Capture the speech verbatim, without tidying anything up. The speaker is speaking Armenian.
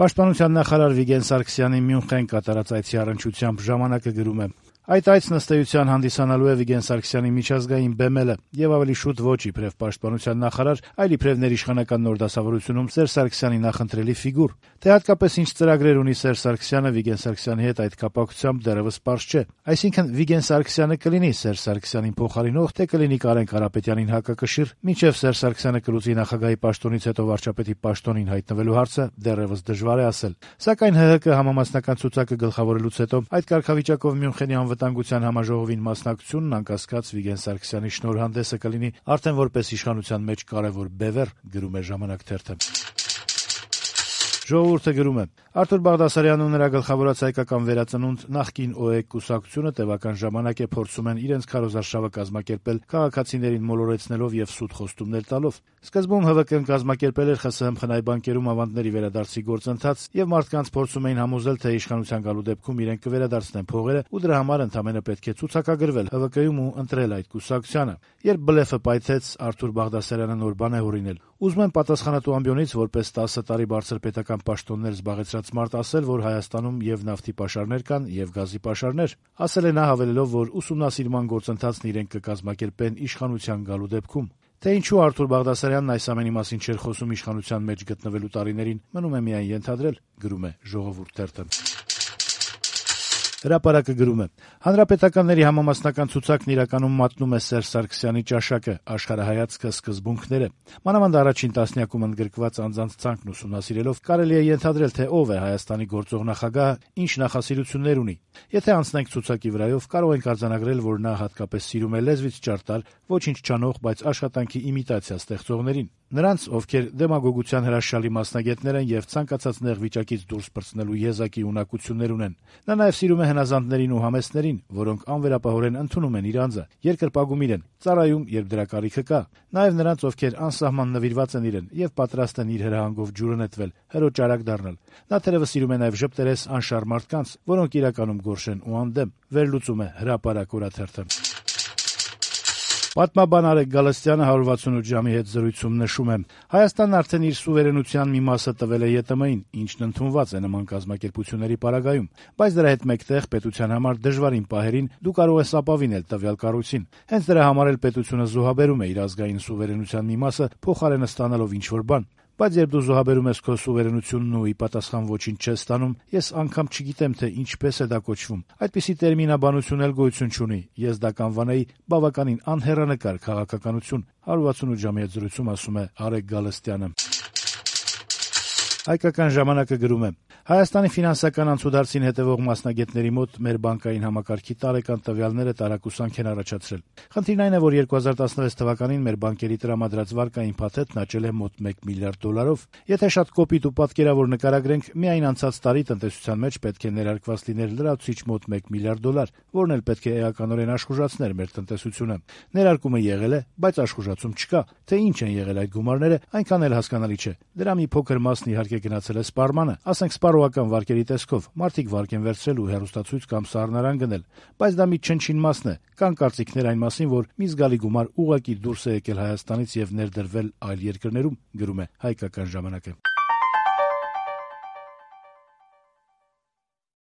Պաշտպանության նախարար Վիգեն Սարգսյանի Մյունխեն կատարած այցի առնչությամբ «Ժամանակ»-ը գրում է. Այդ այցն ըստ էության հանդիսանալու է Վիգեն Սարգսյանի միջազգային բեմելը եւ ավելի շուտ ոչ իբրեւ պաշտպանության նախարար, այլ իբրեւ ներիշխանական նոր դասավորությունում Սերժ Սարգսյանի նախընտրելի ֆիգուր։ Թե հատկապես ինչ ծրագրեր ունի Սերժ Սարգսյանը Վիգեն Սարգսյանի հետ այդ կապակցությամբ դեռևս պարզ չէ։ Այսինքն Վիգեն Սարգսյանը կլինի Սերժ Սարգսյանին փոխարինող, թե կլինի Կարեն Կարապետյանին հակակշիռ, մինչեւ Սերժ Սարգսյանը կլուծի նախագահի պաշտոնից հետո վարչապետի պաշտոնին հայտնվելու հարցը դեռևս դժվար է ասել։ Սակայն ՀՀԿ համամասնական ցուցակը գլխավորելուց հետո այդ կարգավիճակով Մյունխենի անվտանգության համաժողովին մասնակցությունն անկասկած Վիգեն Սարգսյանի շնորհանդեսը կլինի արդեն որպես իշխանության մեջ կարևոր բևեռ, գրում է «Ժամանակ» թերթը։ Ժողովուրդը գրում է. Արթուր Բաղդասարյանն ու նրա գլխավորած հայկական վերածնունդ նախկին ՕԵԿ կուսակցությունը տևական ժամանակ է փորձում են իրենց քարոզարշավը կազմակերպել քաղաքացիներին մոլորեցնելով եւ սուտ խոստումներ տալով։ Սկզբում ՀՎԿ-ն կազմակերպել էր ԽՍՀՄ խնայ բանկերում ավանդների վերադարձի գործընթաց եւ մարդկանց փորձում էին համոզել, թե իշխանության գալու դեպքում իրենք կվերադարձնեն փողերը ու դրա համար ընդամենը պետք է ցուցակագրվել ՀՎԿ-ում ու ընտրել այդ կուսակցությանը։ Երբ բլեֆը պայթեց, Արթուր Բաղդասարյանը նոր բան է հորինել։ Ուզում եմ պատասխանատու ամբիոնից որպես տասը տարի բարձր պետական պաշտոններ զբաղեցրած մարդ ասել, որ Հայաստանում եւ նավթի պաշարներ կան, եւ գազի պաշարներ։ Ասել է նա հավելելով, որ ուսումնասիրման գործընթացն իրենք կկազմակերպեն իշխանության գալու դեպքում։ Թե ինչու Արթուր Բաղդասարյանն այս ամենի մասին չէր խոսում իշխանության մեջ գտնվելու տարիներին, մնում է միայն ենթադրել, գրում է «Ժողովուրդ» թերթը։ Հրապարակը գրում է. Հանրապետականների համամասնական ցուցակն իրականում մատնում է Սերժ Սարգսյանի ճաշակը, աշխարհայացքը, սկզբունքները։ Մանավանդ առաջին տասնյակում ընդգրկված անձանց ցանկն ուսումնասիրելով կարելի է ենթադրել, թե ով է Հայաստանի գործող նախագահը, ինչ նախասիրություններ ունի։ Եթե անցնենք ցուցակի վրայով, կարող ենք արձանագրել, որ նա հատկապես սիրում է լեզվից ճարտար, ոչինչ չանող, բայց աշխատանքի իմիտացիա ստեղծողներին։ Նրանց, ովքեր դեմագոգության հրաշալի մասնագետներ են եւ ցանկացած նեղ վիճակից դուրս պրծնելու եզակի ունակություններ ունեն։ Նա նաեւ սիրում է հնազանդներին ու համեստներին, որոնք անվերապահորեն ընդունում են իր անձը, երկրպագում իրեն, ծառայում, երբ դրա կարիքը կա։ Նաեւ նրանց, ովքեր անսահման նվիրված են իրեն եւ պատրաստ են իր հրահանգով ջուրը նետվել, հրոճարակ դառնալ։ Նա թերևս սիրում է նաեւ ժպտերես անշարժ մարդկանց, որոնք իրականում գորշ են ու անդեմ։ Վերլուծում է Հրապարակ օրաթերթը։ Պատմաբան Արեգ Գալստյանը հարյուր վաթսունութ ժամի հետ զրույցում նշում է. Հայաստանն արդեն իր սուվերենության մի մասը տվել է ԵՏՄ-ին, ինչն ընդունված է նման կազմակերպությունների պարագայում, բայց դրա հետ մեկտեղ պետության համար դժվարին պահերին դու կարող ես ապավինել տվյալ կառույցին։ Հենց դրա համար էլ պետությունը զոհաբերում է իր ազգային սուվերենության մի մասը, փոխարենը ստանալով ինչ-որ բան։ Բայց երբ դու զոհաբերում ես քո սուվերենությունն ու ի պատասխան ոչինչ չես ստանում, ես անգամ չգիտեմ, թե ինչպես է դա կոչվում։ Այդպիսի տերմինաբանություն էլ գոյություն չունի։ Ես դա կանվանեի բավականին անհեռանկար քաղաքականություն, հարյուր վաթսունութ ժամի հետ զրույցում ասում է Արեգ Գալստյանը։ Հայկական ժամանակը գրում է. Հայաստանի ֆինանսական անցուդարձին հետևող մասնագետների մոտ մեր բանկային համակարգի տարեկան տվյալները տարակուսանք են առաջացրել։ Խնդիրն այն է, որ երկու հազար տասնվեց թվականին մեր բանկերի տրամադրած վարկային փաթեթն աճել է մոտ մեկ միլիարդ դոլարով։ Եթե շատ կոպիտ ու պատկերավոր նկարագրենք, միայն անցած տարի տնտեսության մեջ պետք է ներարկված լիներ լրացուցիչ մոտ մեկ միլիարդ դոլար, որն էլ պետք է էականորեն աշխուժացներ մեր տնտեսությունը։ Ներարկումը եղել է, բայց աշխուժացում չկա։ Թե ինչ են եղել այդ գումարները, այնքան էլ հասկանալի չէ։ Դրա մի փոքր մասն իհարկե գնացել է սպառմանը, ասենք սպառողական վարկերի տեսքով, մարդիկ վարկ են վերցրել ու հեռուստացույց կամ սառնարան գնել, բայց դա մի չնչին մասն է։ Կան կարծիքներ այն մասին, որ մի զգալի գումար ուղղակի դուրս է եկել Հայաստանից եւ ներդրվել այլ երկրներում, գրում է Հայկական ժամանակը։